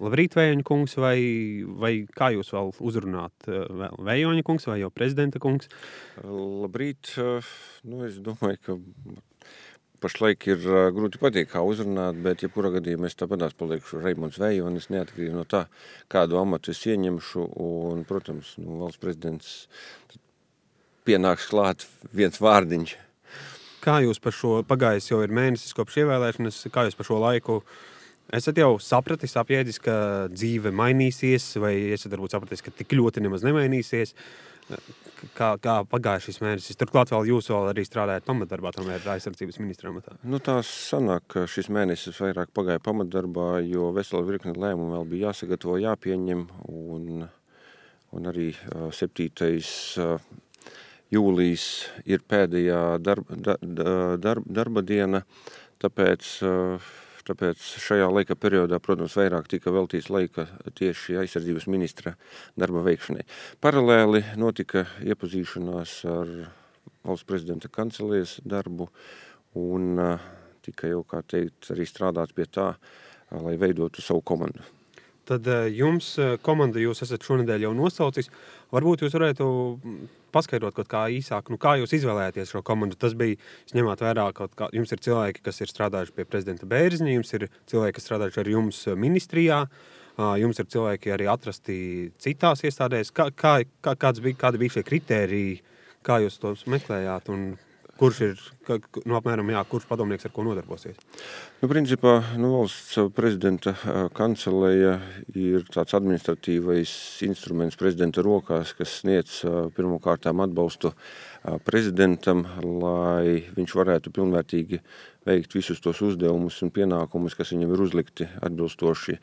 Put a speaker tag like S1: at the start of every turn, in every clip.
S1: Labrīt, Vējoņa kungs, vai kā jūs vēl uzrunāt? Vēl Vējoņa kungs vai jau prezidenta kungs?
S2: Labrīt. Es domāju, ka pašlaik ir grūti pateikt, kā uzrunāt, bet jebkurā gadījumā es tāpatās palikšu Reimonds Vējonis, neatkarīgi no tā, kādu amatu es ieņemšu. Un, protams, valsts prezidents pienāks klāt viens vārdiņš.
S1: Kā jūs par šo, pagājis jau ir mēnesis kopš ievēlēšanas, kā jūs par šo laiku esat jau sapratis, apjēdzis, ka dzīve mainīsies, vai esat varbūt sapratis, ka tik ļoti nemaz nemainīsies? Kā pagāja šis mēnesis? Turklāt vēl jūs vēl arī strādājat pamatdarbā, tomēr aizsardzības ministra amatā.
S2: Tā sanāk, ka šis mēnesis vairāk pagāja pamatdarbā, jo vesela virkne lēmumu vēl bija jāsagatavo, jāpieņem, un arī 7. jūlijas ir pēdējā darba diena, tāpēc šajā laika periodā, protams, vairāk tika veltīts laika tieši aizsardzības ministra darba veikšanai. Paralēli notika iepazīšanās ar valsts prezidenta kancelējas darbu un tika jau, kā teikt, arī strādāts pie tā, lai veidotu savu komandu.
S1: Tad jums komanda jūs esat šonedēļ jau nosaucis. Varbūt jūs varētu paskaidrot kaut kā īsāk, kā jūs izvēlējāties šo komandu. Tas bija, jūs ņemāt vērā, jums ir cilvēki, kas ir strādājuši pie prezidenta Bērziņa, jums ir cilvēki, kas strādājuši ar jums ministrijā, jums ir cilvēki arī atrasti citās iestādēs. Kādi bija šie kritēriji, kā jūs tos meklējāt un kurš ir, apmēram, kurš padomnieks ar ko nodarbosies?
S2: Principā, valsts prezidenta kancelēja ir tāds administratīvais instruments prezidenta rokās, kas sniedz pirmkārtām atbalstu prezidentam, lai viņš varētu pilnvērtīgi veikt visus tos uzdevumus un pienākumus, kas viņam ir uzlikti atbilstoši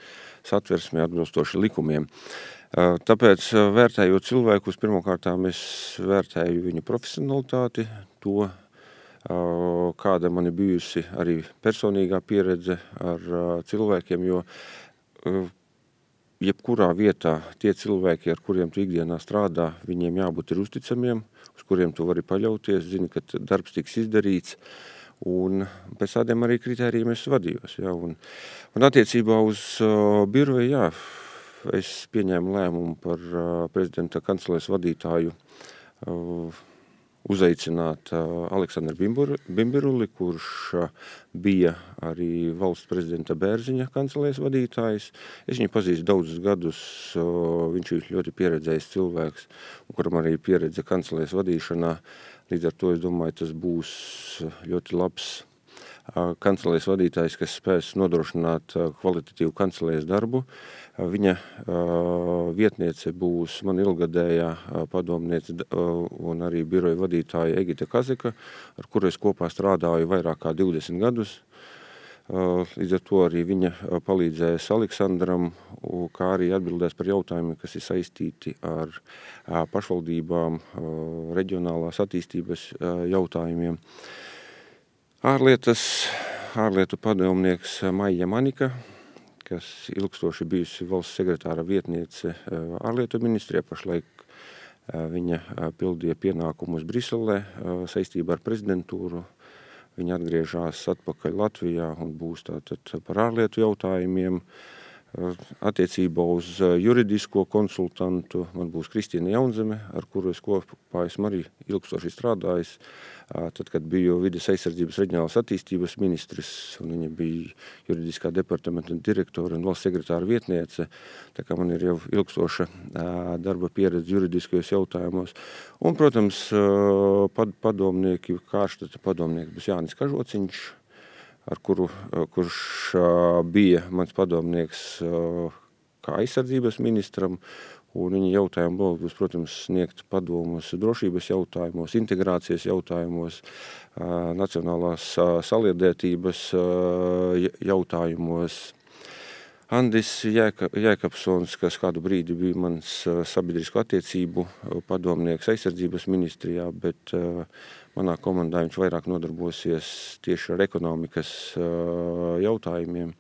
S2: satversmē, atbilstoši likumiem. Tāpēc, vērtējot cilvēkus, pirmkārtām es vērtēju viņu profesionalitāti, to, kāda man ir bijusi arī personīgā pieredze ar cilvēkiem, jo jebkurā vietā tie cilvēki, ar kuriem tu ikdienā strādā, viņiem jābūt ir uzticamiem, uz kuriem tu vari paļauties, zini, ka darbs tiks izdarīts, un pēc tādiem arī kritērijiem es vadījos. Ja, un attiecībā uz biroju, es pieņēmu lēmumu par prezidenta kancelēs vadītāju uzaicināt Aleksandru Bimbiruli, kurš bija arī valsts prezidenta Bērziņa kancelēs vadītājs. Es viņu pazīstu daudzus gadus, viņš ir ļoti pieredzējis cilvēks, kuram arī pieredze kancelēs vadīšanā. Līdz ar to es domāju, tas būs ļoti labs kancelēs vadītājs, kas spēs nodrošināt kvalitatīvu kancelēs darbu. Viņa vietniece būs man ilgadējā padomniece un arī biroja vadītāja Egita Kazeka, ar kuru es kopā strādāju vairāk kā 20 gadus. Līdz ar to arī viņa palīdzēs Aleksandram, kā arī atbildēs par jautājumiem, kas ir saistīti ar pašvaldībām, reģionālās attīstības jautājumiem. Ārlietu padomnieks Maija Manika, kas ilgstoši bijusi valsts sekretāra vietniece ārlietu ministrijā, pašlaik viņa pildīja pienākumus Briselē saistībā ar prezidentūru. Viņa atgriežās atpakaļ Latvijā un būs tātad par ārlietu jautājumiem. Attiecībā uz juridisko konsultantu man būs Kristīna Jaunzeme, ar kuru es kopā esmu arī ilgstoši strādājis. Tad, kad biju vides aizsardzības reģionālās attīstības ministrs, un viņa bija juridiskā departamenta direktora un valsts sekretāra vietniece, tā kā man ir jau ilgstoša darba pieredze juridiskajos jautājumos. Un, protams, padomnieki, kārštata padomnieks būs Jānis Kažociņš, kurš bija mans padomnieks kā aizsardzības ministram, un viņa jautājumu vēl būs, protams, sniegt padomus drošības jautājumos, integrācijas jautājumos, nacionālās saliedētības jautājumos. Andis Jēkabsons, kas kādu brīdi bija mans sabiedrisko attiecību padomnieks aizsardzības ministrijā, bet manā komandā viņš vairāk nodarbosies tieši ar ekonomikas jautājumiem,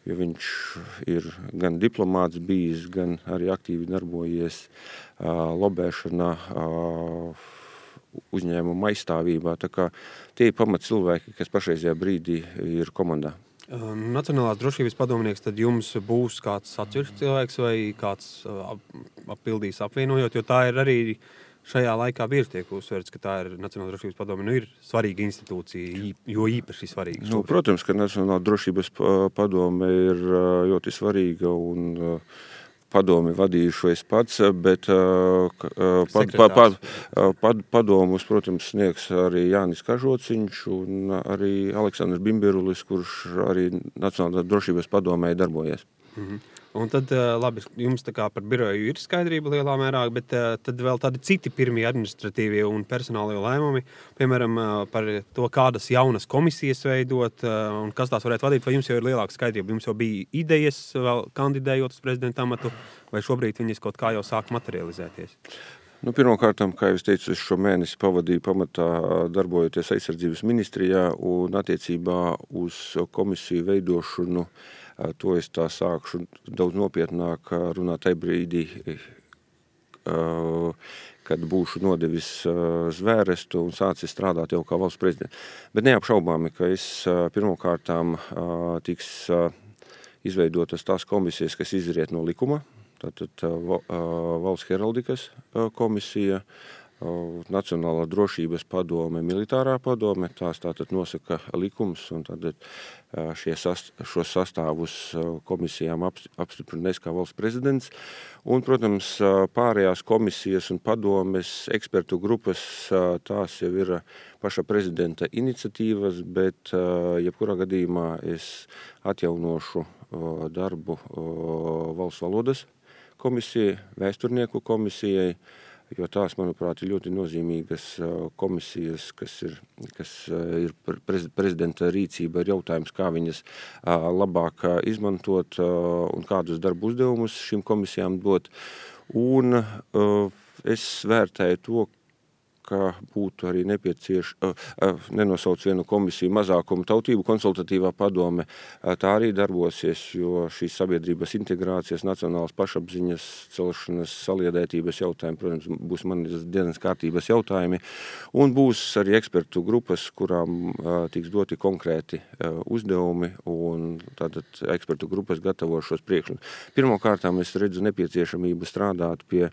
S2: jo viņš ir gan diplomāts bijis, gan arī aktīvi darbojies lobēšanā, uzņēmuma aizstāvībā. Tā kā tie ir pamat cilvēki, kas pašreizajā brīdī ir komandā.
S1: Nacionālās drošības padomnieks, tad jums būs kāds atsevišķs cilvēks vai kāds pildīs apvienojot, jo tā ir arī šajā laikā bieži tiek uzsverts, ka tā ir Nacionālās drošības padome, ir svarīga institūcija, jo īpaši svarīga.
S2: Protams, ka Nacionālā drošības padome ir ļoti svarīga un padomi vadījušu es pats, bet padomus, protams, sniegs arī Jānis Kažociņš un arī Aleksandrs Bimbirulis, kurš arī Nacionālā drošības padomē darbojas.
S1: Un tad, labi, jums tā kā par biroju ir skaidrība lielā mērā, bet tad vēl tādi citi pirmie administratīvie un personālie lēmumi, piemēram, par to, kādas jaunas komisijas veidot un kas tās varētu vadīt, vai jums jau ir lielāka skaidrība? Jums jau bija idejas vēl kandidējot uz prezidenta amatu, vai šobrīd viņas kaut kā jau sāk materializēties?
S2: Pirmkārtām, kā jau es teicu, es šo mēnesi pavadīju pamatā darbojoties aizsardzības ministrijā un attiecībā uz komisiju veidošanu. To es tā sākšu daudz nopietnāk runāt tajā brīdī, kad būšu nodevis zvērestu un sācis strādāt jau kā valsts prezidents. Bet neapšaubāmi, ka es pirmkārtām tiks izveidotas tās komisijas, kas izriet no likuma. Tātad valsts heraldikas komisija, Nacionālā drošības padome, militārā padome, tās tātad nosaka likums un tātad šos sastāvus komisijām apstiprinās kā valsts prezidents. Un, protams, pārējās komisijas un padomes ekspertu grupas, tās jau ir paša prezidenta iniciatīvas, bet jebkurā gadījumā es atjaunošu darbu valsts valodas komisijai, vēsturnieku komisijai, jo tās, manuprāt, ir ļoti nozīmīgas komisijas, kas ir prezidenta rīcība, ir jautājums, kā viņas labāk izmantot un kādus darbu uzdevumus šīm komisijām dot. Un es vērtēju to, ka būtu arī nenosauc vienu komisiju mazākumu tautību konsultatīvā padome. Tā arī darbosies, jo šīs sabiedrības integrācijas, nacionālas pašapziņas, celšanas, saliedētības jautājumi, protams, būs manas dienas kārtības jautājumi. Un būs arī ekspertu grupas, kurām tiks doti konkrēti uzdevumi, un tātad ekspertu grupas gatavo šos priekšlikumus. Pirmkārtām es redzu nepieciešamību strādāt pie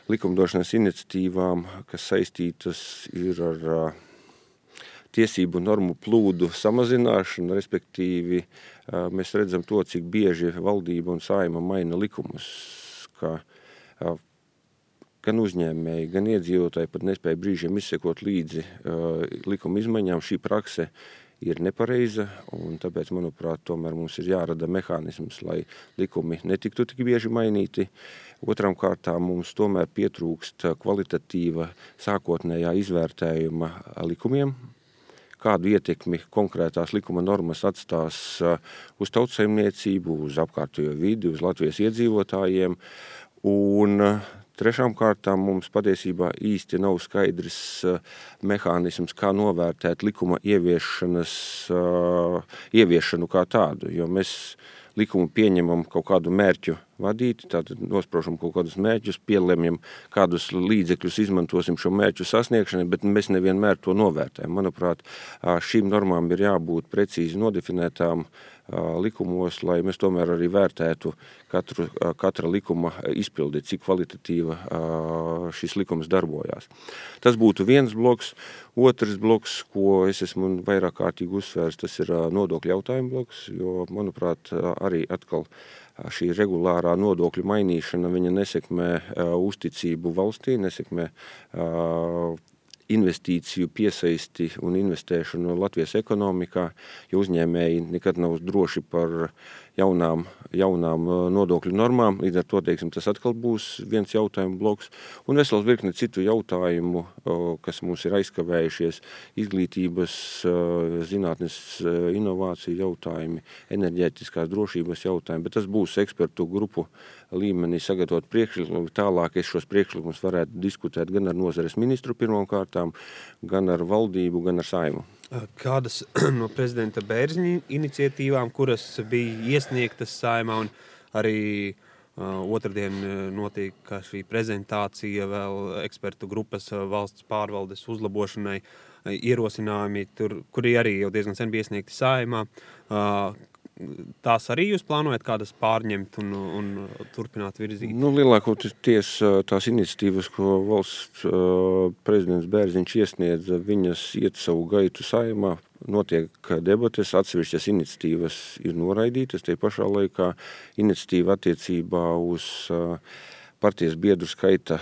S2: likumdošanas iniciatīvām, kas saistītas ir ar tiesību normu plūdu samazināšanu, respektīvi mēs redzam to, cik bieži valdība un Saeima maina likumus, ka gan uzņēmēji, gan iedzīvotāji pat nespēja brīžiem izsekot līdzi likuma izmaiņām. Šī prakse ir nepareiza, un tāpēc, manuprāt, tomēr mums ir jārada mehānisms, lai likumi netiktu tik bieži mainīti. Otram kārtām mums tomēr pietrūkst kvalitatīva sākotnējā izvērtējuma likumiem, kādu ietekmi konkrētās likuma normas atstās uz tautsaimniecību, uz apkārtējo vidi, uz Latvijas iedzīvotājiem. Un trešām kārtām mums patiesībā īsti nav skaidrs mehānisms, kā novērtēt likuma ieviešanu kā tādu, jo mēs likumu pieņemam kaut kādu mērķu vadīt, tātad nosprošam kaut kādus mērķus, pielemjam kādus līdzekļus, izmantosim šo mērķu sasniegšanai, bet mēs nevienmēr to novērtējam. Manuprāt, šīm normām ir jābūt precīzi nodefinētām likumos, lai mēs tomēr arī vērtētu katra likuma izpildi, cik kvalitatīva šis likums darbojās. Tas būtu viens bloks. Otrs bloks, ko es esmu vairāk kārtīgi uzsvērs, tas ir nodokļu jautājumu bloks, jo, manuprāt, arī atkal šī regulārā nodokļu mainīšana, viņa nesekmē uzticību valstī, nesekmē investīciju piesaisti un investēšanu Latvijas ekonomikā, jo uzņēmēji nekad nav droši par jaunām nodokļu normām. Līdz ar to, teiksim, tas atkal būs viens jautājumu bloks. Un vesels virkne citu jautājumu, kas mums ir aizkavējušies, izglītības, zinātnes, inovāciju jautājumi, enerģētiskās drošības jautājumi, bet tas būs ekspertu grupu līmenī sagatavot priekšlikumu. Tālāk es šos priekšlikumus varētu diskutēt gan ar nozares ministru pirmkārtām, gan ar valdību, gan ar Saeimu.
S1: Kādas no prezidenta Bērziņa iniciatīvām, kuras bija iesniegtas Saeimā un arī otrdien notika šī prezentācija vēl ekspertu grupas valsts pārvaldes uzlabošanai, ierosinājumi, kuri arī jau diezgan sen bija iesniegti Saeimā. Tās arī jūs plānojat kādas pārņemt un turpināt virzīt?
S2: Lielākoties tās iniciatīvas, ko valsts prezidents Bērziņš iesniedza, viņas iet savu gaitu Saeimā, notiek debates, atsevišķas iniciatīvas ir noraidītas, tie pašā laikā iniciatīva attiecībā uz partijas biedru skaita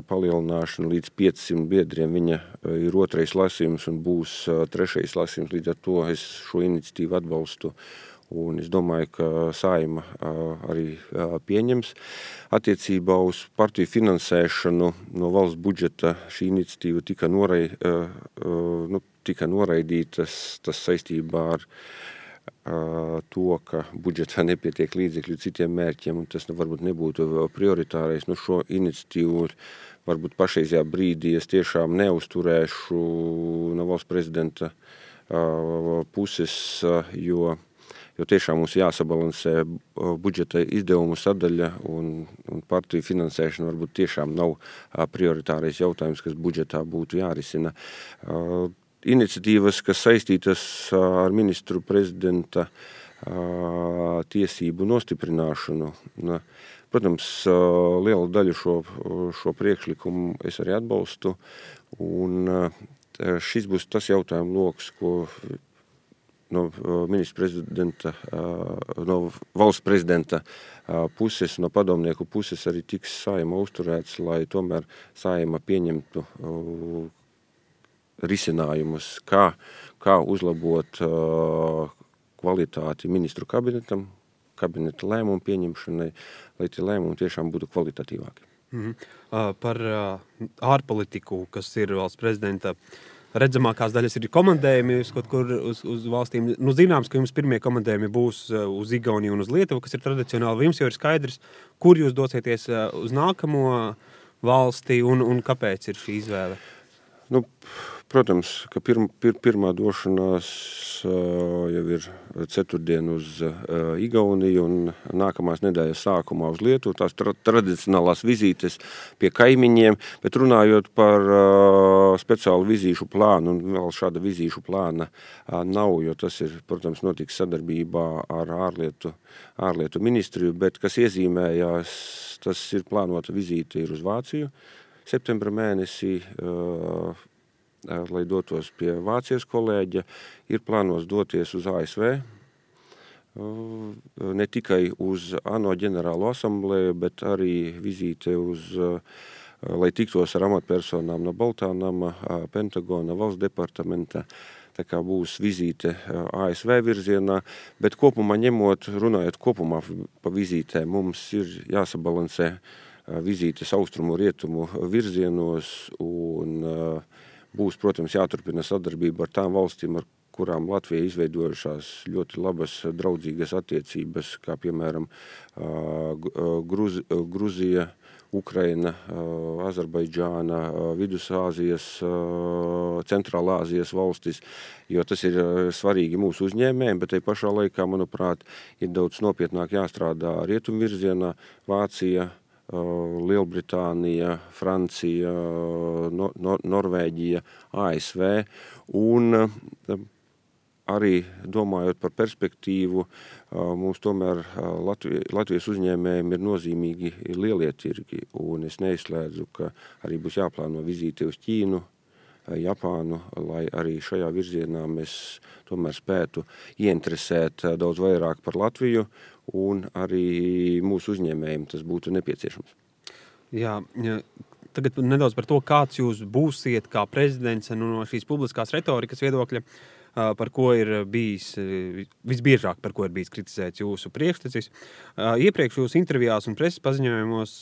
S2: palielināšanu līdz 500 biedriem. Viņa ir otrais lasījums un būs trešais lasījums, līdz ar to es šo iniciatīvu atbalstu. Un es domāju, ka Saeima arī pieņems. Attiecībā uz partiju finansēšanu no valsts budžeta šī iniciatīva tika noraidītas, tas saistībā ar to, ka budžetā nepietiek līdzekļu citiem mērķiem, un tas varbūt nebūtu prioritārais. Šo iniciatīvu varbūt pašreizajā brīdī es tiešām neuzturēšu no valsts prezidenta puses, jo tiešām mums jāsabalansē budžeta izdevumu sadaļa un partiju finansēšana varbūt tiešām nav prioritārais jautājums, kas budžetā būtu jārisina. Iniciatīvas, kas saistītas ar ministru prezidenta tiesību nostiprināšanu. Protams, lielu daļu šo priekšlikumu es arī atbalstu, un šis būs tas jautājumu loks, ko no ministra prezidenta, no valsts prezidenta puses, no padomnieku puses arī tiks Saeima uzturēts, lai tomēr Saeima pieņemtu risinājumus, kā uzlabot kvalitāti ministru kabinetam, kabineta lēmumu pieņemšanai, lai tie lēmumi tiešām būtu kvalitatīvāki.
S1: Par ārpolitiku, kas ir valsts prezidenta redzamākās daļas, ir komandējumi kaut kur uz valstīm. Zināms, ka jums pirmie komandējumi būs uz Igauniju un uz Lietuvu, kas ir tradicionāli. Jums jau ir skaidrs, kur jūs dosieties uz nākamo valsti un kāpēc ir šī izvēle?
S2: Protams, ka pirmā došanās jau ir ceturtdien uz Igauniju un nākamās nedēļas sākumā uz Lietuvu. Tās tradicionālās vizītes pie kaimiņiem, bet runājot par speciālu vizīšu plānu, un vēl šāda vizīšu plāna nav, jo tas ir, protams, notiks sadarbībā ar ārlietu ministriju, bet kas iezīmējās, tas ir plānota vizīte ir uz Vāciju septembra mēnesī, lai dotos pie Vācijas kolēģa, ir plānos doties uz ASV, ne tikai uz ANO ģenerālo asamblēju, bet arī vizīte lai tiktos ar amatpersonām no Baltā nama, Pentagona, valsts departamenta. Tā kā būs vizīte ASV virzienā, bet kopumā runājot kopumā pa vizītēm, mums ir jāsabalansē vizītes austrumu rietumu virzienos un būs, protams, jāturpina sadarbība ar tām valstīm, ar kurām Latvija izveidojušās ļoti labas draudzīgas attiecības, kā piemēram Gruzija, Ukraina, Azerbaidžāna, Vidusāzijas, Centrālāzijas valstis, jo tas ir svarīgi mūsu uzņēmējiem, bet tai pašā laikā, manuprāt, ir daudz nopietnāk jāstrādā rietumvirzienā, Vācija, Lielbritānija, Francija, Norvēģija, ASV, un arī domājot par perspektīvu, mums tomēr Latvijas uzņēmējiem ir nozīmīgi lielie tirgi, un es neizslēdzu, ka arī būs jāplāno vizīte uz Ķīnu, Japānu, lai arī šajā virzienā mēs tomēr spētu ieinteresēt daudz vairāk par Latviju, un arī mūsu uzņēmējiem tas būtu nepieciešams.
S1: Jā, tagad nedaudz par to, kāds jūs būsiet kā prezidents no šīs publiskās retorikas viedokļa, par ko ir bijis, visbiežāk par ko ir bijis kritizēts jūsu priekštecis. Iepriekš jūsu intervijās un preses paziņojumos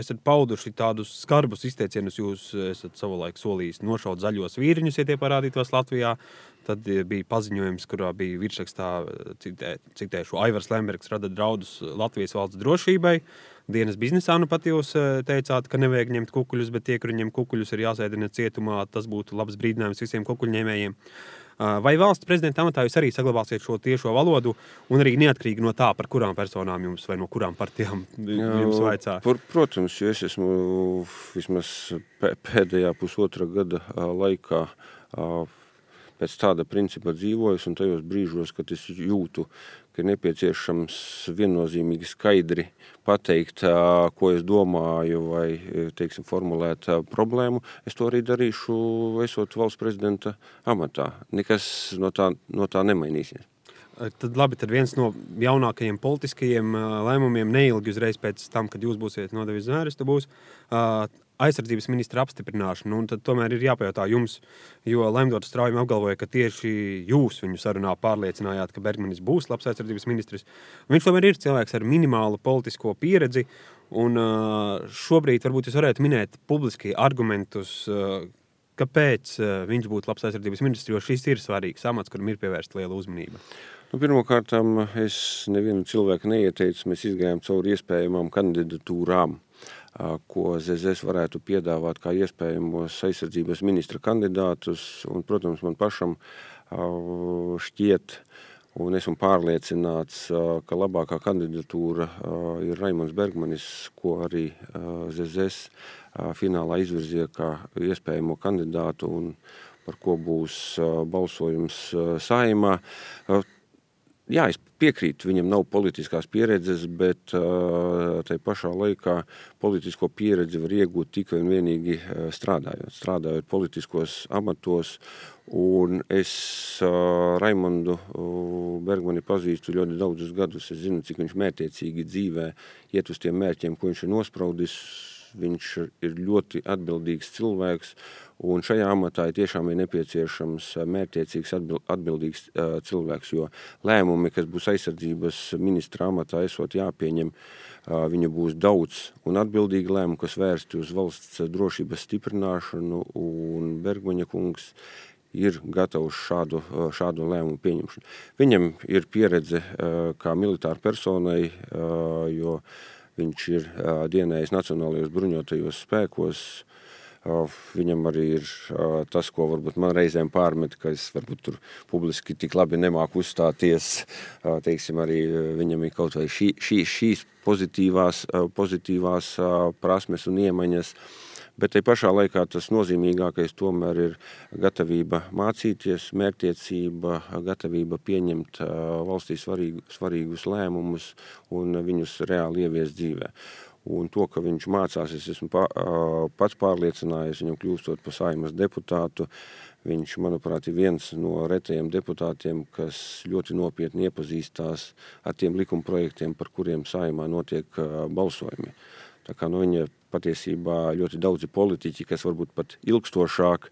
S1: esat pauduši tādus skarbus izteicienus, jūs esat savulaik solījis nošaut zaļos vīriņus, ja tie parādītos Latvijā. Tad bija paziņojums, kurā bija virsrakstā, citēšu, Aivars Lembergs rada draudus Latvijas valsts drošībai. Dienas biznesā pat jūs teicāt, ka nevajag ņemt kukuļus, bet tie, kuri ņem kukuļus, ir jāsēdina cietumā. Tas būtu labs brīdinājums visiem kukuļņēmējiem. Vai valsts prezidenta amatā jūs arī saglabāsiet šo tiešo valodu un arī neatkarīgi no tā, par kurām personām jums vai no kurām partijām jums vaicā?
S2: Protams, jo es esmu vismaz pēdējā pusotra gada laikā pēc tāda principa dzīvojis, un tajos brīžos, kad es jūtu, ka ir nepieciešams viennozīmīgi skaidri pateikt, ko es domāju, vai, teiksim, formulēt problēmu, es to arī darīšu, esot valsts prezidenta amatā. Nekas no tā nemainīsies.
S1: Tad labi, tad viens no jaunākajiem politiskajiem lēmumiem neilgi uzreiz pēc tam, kad jūs būsiet nodevis zvērestu, būs aizsardzības ministra apstiprināšana. Un tad tomēr ir jāpajautā jums, jo Lemdots Straujam apgalvoja, ka tieši jūs viņu sarunā pārliecinājāt, ka Bergmanis būs labs aizsardzības ministrs. Viņš tomēr ir cilvēks ar minimālu politisko pieredzi, un šobrīd varbūt jūs varētu minēt publiski argumentus, kāpēc viņš būtu labs aizsardzības ministrs, jo šis ir svarīgs amats, kuram ir pievērsta liela uzmanība.
S2: Pirmkārtām, es nevienu cilvēku neieteicu, mēs izgājām cauri iespējamām kandidatūrām, ko ZZS varētu piedāvāt kā iespējamos aizsardzības ministra kandidātus, un, protams, man pašam šķiet, un esmu pārliecināts, ka labākā kandidatūra ir Raimonds Bergmanis, ko arī ZZS finālā izvirzīja kā iespējamo kandidātu un par ko būs balsojums Saeimā. Jā, es piekrītu, viņam nav politiskās pieredzes, bet tai pašā laikā politisko pieredzi var iegūt tikai un vienīgi strādājot politiskos amatos. Un es Raimondu Bergmani pazīstu ļoti daudzus gadus. Es zinu, cik viņš mērķiecīgi dzīvē iet uz tiem mērķiem, ko viņš ir nospraudis. Viņš ir ļoti atbildīgs cilvēks, un šajā amatā tiešām ir nepieciešams mērķiecīgs atbildīgs cilvēks, jo lēmumi, kas būs aizsardzības ministra amatā esot jāpieņem, viņu būs daudz un atbildīgi lēmumi, kas vērsti uz valsts drošības stiprināšanu, un Bergmaņa kungs ir gatavs šādu lēmumu pieņemšanu. Viņam ir pieredze kā militāra personai, jo viņš ir dienējis Nacionālajos bruņotajos spēkos. Viņam arī ir tas, ko varbūt man reizēm pārmet, ka es varbūt tur publiski tik labi nemāku uzstāties. Teiksim, arī viņam ir kaut vai šīs pozitīvās prasmes un iemaņas. Bet tai pašā laikā tas nozīmīgākais tomēr ir gatavība mācīties, mērķtiecība, gatavība pieņemt valstī svarīgus lēmumus un viņus reāli ieviest dzīvē. Un to, ka viņš mācās, es esmu pats pārliecinājies, viņam kļūstot par Saeimas deputātu. Viņš, manuprāt, ir viens no retajiem deputātiem, kas ļoti nopietni iepazīstās ar tiem likumprojektiem, par kuriem Saeimā notiek balsojumi. Tā kā no viņa patiesībā ļoti daudzi politiķi, kas varbūt pat ilgstošāk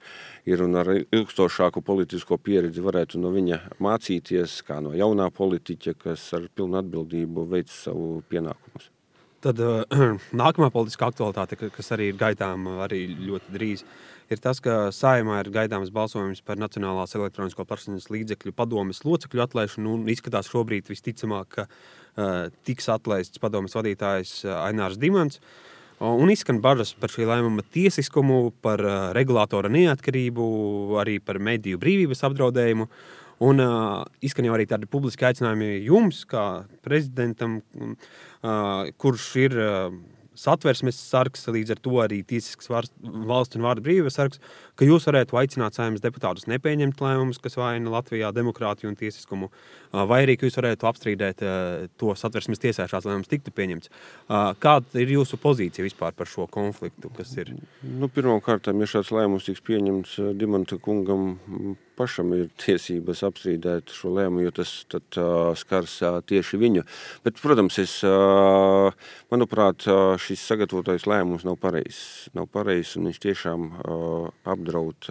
S2: ir un ar ilgstošāku politisko pieredzi varētu no viņa mācīties, kā no jaunā politiķa, kas ar pilnu atbildību veic savu pienākumus.
S1: Tad nākamā politiskā aktualitāte, kas arī ir gaidām arī ļoti drīz, ir tas, ka Saeimā ir gaidāms balsojums par Nacionālās elektronisko plašsaziņas līdzekļu padomes locekļu atlaišanu, un izskatās šobrīd visticamāk, ka tiks atlaists padomes vadītājs Ainārs Dimants. Un izskan bažas par šī lēmuma tiesiskumu, par regulātora neatkarību, arī par mediju brīvības apdraudējumu. Un izskan jau arī tādi publiski aicinājumi jums, kā prezidentam, kurš ir satversmes sargs, līdz ar to arī tiesisks valsts un vārda brīvības sargs, ka jūs varētu aicināt Saeimas deputātus nepieņemt lēmumus, kas vaina Latvijā demokrātiju un tiesiskumu, vai arī, ka jūs varētu apstrīdēt to satversmes tiesā šāds lēmums tiktu pieņemts. Kāda ir jūsu pozīcija vispār par šo konfliktu, kas ir?
S2: Pirmkārtām, ja šāds lēmums tiks pieņemts, Dimanta kungam pašam ir tiesības apstrīdēt šo lēmumu, jo tas tad skars tieši viņu. Bet, protams, manuprāt, šis sagatavotais lēmums nav pareizs. Nav pareizs, un viņš tiešām apdraud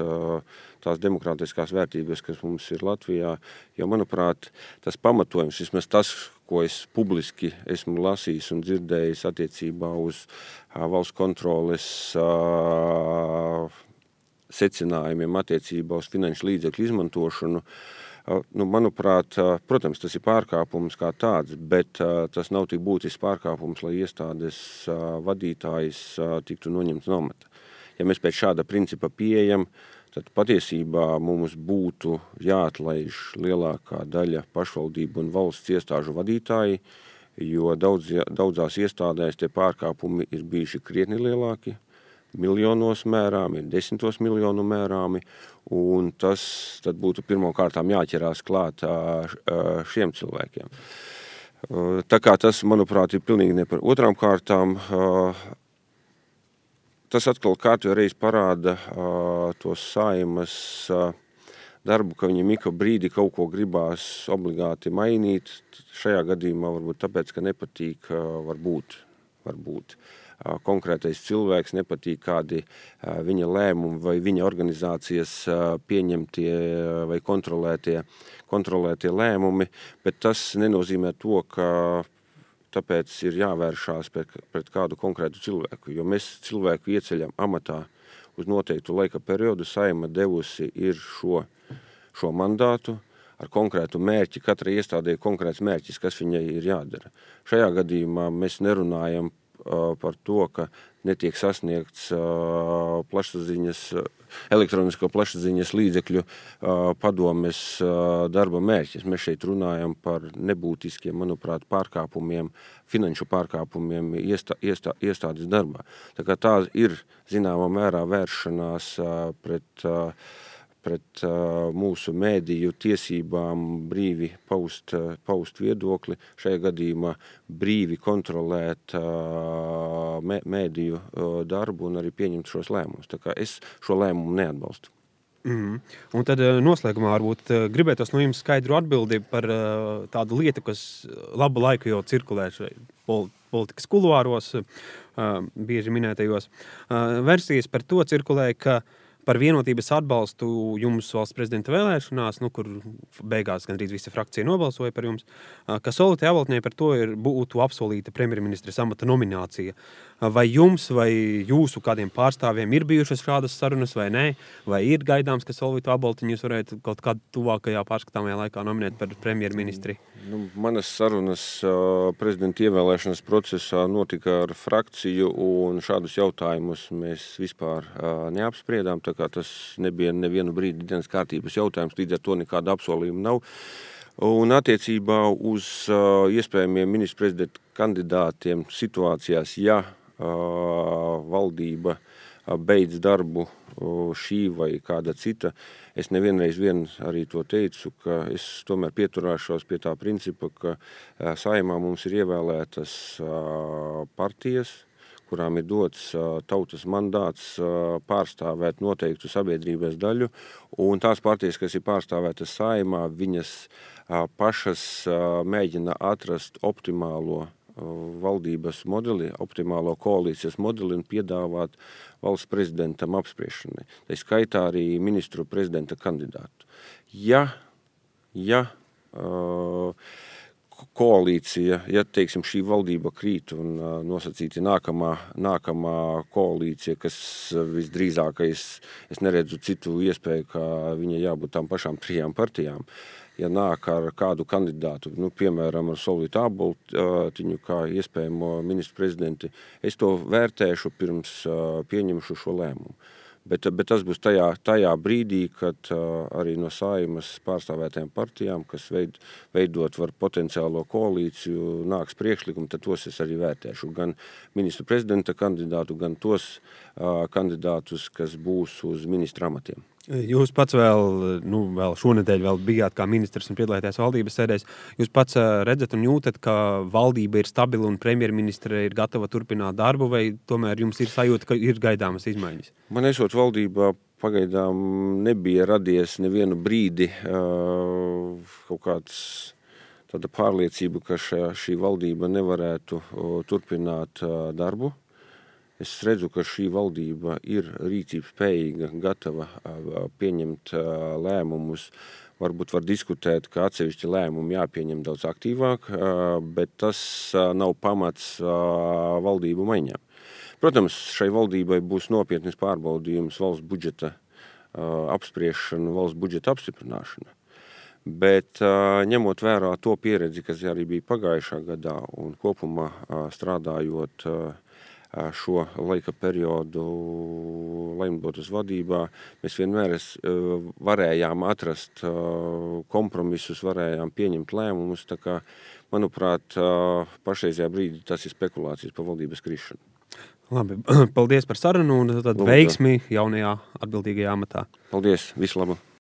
S2: tās demokrātiskās vērtības, kas mums ir Latvijā. Jo, manuprāt, tas pamatojums, vismaz tas, ko es publiski esmu lasījis un dzirdējis attiecībā uz valsts kontroles secinājumiem attiecībā uz finanšu līdzekļu izmantošanu. Manuprāt, protams, tas ir pārkāpums kā tāds, bet tas nav tik būtisks pārkāpums, lai iestādes vadītājs tiktu noņemts no amata. Ja mēs pēc šāda principa pieejam, tad patiesībā mums būtu jāatlaiž lielākā daļa pašvaldību un valsts iestāžu vadītāji, jo daudzās iestādēs tie pārkāpumi ir bijuši krietni lielāki. miljonos mērāmi, ir 10 miljonu mērāmi, un tas tad būtu pirmkārtām jāķerās klāt šiem cilvēkiem. Tā kā tas, manuprāt, ir pilnīgi nepar. Otrām kārtām, tas atkal kārtībā reiz parāda tos Saeimas darbu, ka viņam ik brīdi kaut ko gribās obligāti mainīt. Šajā gadījumā varbūt tāpēc, ka nepatīk varbūt konkrētais cilvēks, nepatīk kādi viņa lēmumi vai viņa organizācijas pieņemtie vai kontrolētie lēmumi, bet tas nenozīmē to, ka tāpēc ir jāvēršās pret kādu konkrētu cilvēku, jo mēs cilvēku ieceļam amatā uz noteiktu laika periodu. Saeima devusi ir šo mandātu ar konkrētu mērķi, katrai iestādē konkrēts mērķis, kas viņai ir jādara. Šajā gadījumā mēs nerunājam par to, ka netiek sasniegts elektronisko plašsaziņas līdzekļu padomes darba mērķis. Mēs šeit runājam par nebūtiskiem, manuprāt, pārkāpumiem, finanšu pārkāpumiem iestādes darbā. Tā kā tā ir zināmā mērā vēršanās pret mūsu mēdīju tiesībām brīvi paust viedokli, šajā gadījumā brīvi kontrolēt mēdīju darbu un arī pieņemt šos lēmumus. Tā kā es šo lēmumu neatbalstu.
S1: Un tad noslēgumā varbūt gribētos no jums skaidru atbildi par tādu lietu, kas labu laiku jau cirkulē politikas kuluāros, bieži minētajos. Versijas par to cirkulē, ka par vienotības atbalstu jums valsts prezidenta vēlēšanās, kur beigās gandrīz visa frakcija nobalsoja par jums, ka Solvitei Aboltņai par to būtu apsolīta premjerministres amata nominācija. Vai jums vai jūsu kādiem pārstāvjiem ir bijušas šādas sarunas vai nē? Vai ir gaidāms, ka Solvitu Aboltņu jūs varētu kaut kādā tuvākajā pārskatāmajā laikā nominēt par premjerministri?
S2: Manas sarunas prezidenta ievēlēšanas procesā notika ar frakciju, un šādus jautājumus mēs vispār neapspriedām, tā kā tas nebija nevienu brīdi dienas kārtības jautājums, līdz ar to nekāda apsolījuma nav. Un attiecībā uz iespējamiem ministru prezidenta kandidātiem situācijās, ja valdība beidz darbu šī vai kāda cita, es nevienreiz arī to teicu, ka es tomēr pieturēšos pie tā principa, ka Saeimā mums ir ievēlētas partijas, kurām ir dots tautas mandāts pārstāvēt noteiktu sabiedrības daļu, un tās partijas, kas ir pārstāvētas Saeimā, viņas pašas mēģina atrast optimālo valdības modeli, optimālo koalīcijas modeli un piedāvāt valsts prezidentam apspriešanai. Tā skaitā arī ministru prezidenta kandidātu. Ja koalīcija, teiksim, šī valdība krīt un nosacīti nākamā koalīcija, kas visdrīzākais, es neredzu citu iespēju, kā viņa jābūt tām pašām 3 partijām, ja nāk ar kādu kandidātu, piemēram, ar Solvitu Aboltņu kā iespējamo ministru prezidenti, es to vērtēšu pirms pieņemšu šo lēmumu. Bet tas būs tajā brīdī, kad arī no Saeimas pārstāvētajām partijām, kas veidot var potenciālo koalīciju, nāks priekšlikumi, tad tos es arī vērtēšu. Gan ministru prezidenta kandidātu, gan tos kandidātus, kas būs uz ministra amatiem.
S1: Jūs pats vēl šonedēļ bijāt kā ministrs un piedalījāties valdības sēdēs. Jūs pats redzat un jūtat, ka valdība ir stabila un premjerministre ir gatava turpināt darbu, vai tomēr jums ir sajūta, ka ir gaidāmas izmaiņas?
S2: Man esot valdībā pagaidām nebija radies nevienu brīdi kaut kāds tāda pārliecība, ka šī valdība nevarētu turpināt darbu. Es redzu, ka šī valdība ir rīcības spējīga, gatava pieņemt lēmumus. Varbūt var diskutēt, ka atsevišķi lēmumi jāpieņem daudz aktīvāk, bet tas nav pamats valdību maiņām. Protams, šai valdībai būs nopietnis pārbaudījums valsts budžeta apspriešana, valsts budžeta apstiprināšana. Bet ņemot vērā to pieredzi, kas arī bija pagājušā gadā un kopumā strādājot šo laika periodu Laimbotas vadībā, mēs vienmēr varējām atrast kompromisus, varējām pieņemt lēmumus, tā kā, manuprāt, pašreizajā brīdī tas ir spekulācijas par valdības krišanu.
S1: Labi, paldies par sarunu un tad
S2: Lūdzu.
S1: veiksmi jaunajā atbildīgajā amatā.
S2: Paldies, visu labu!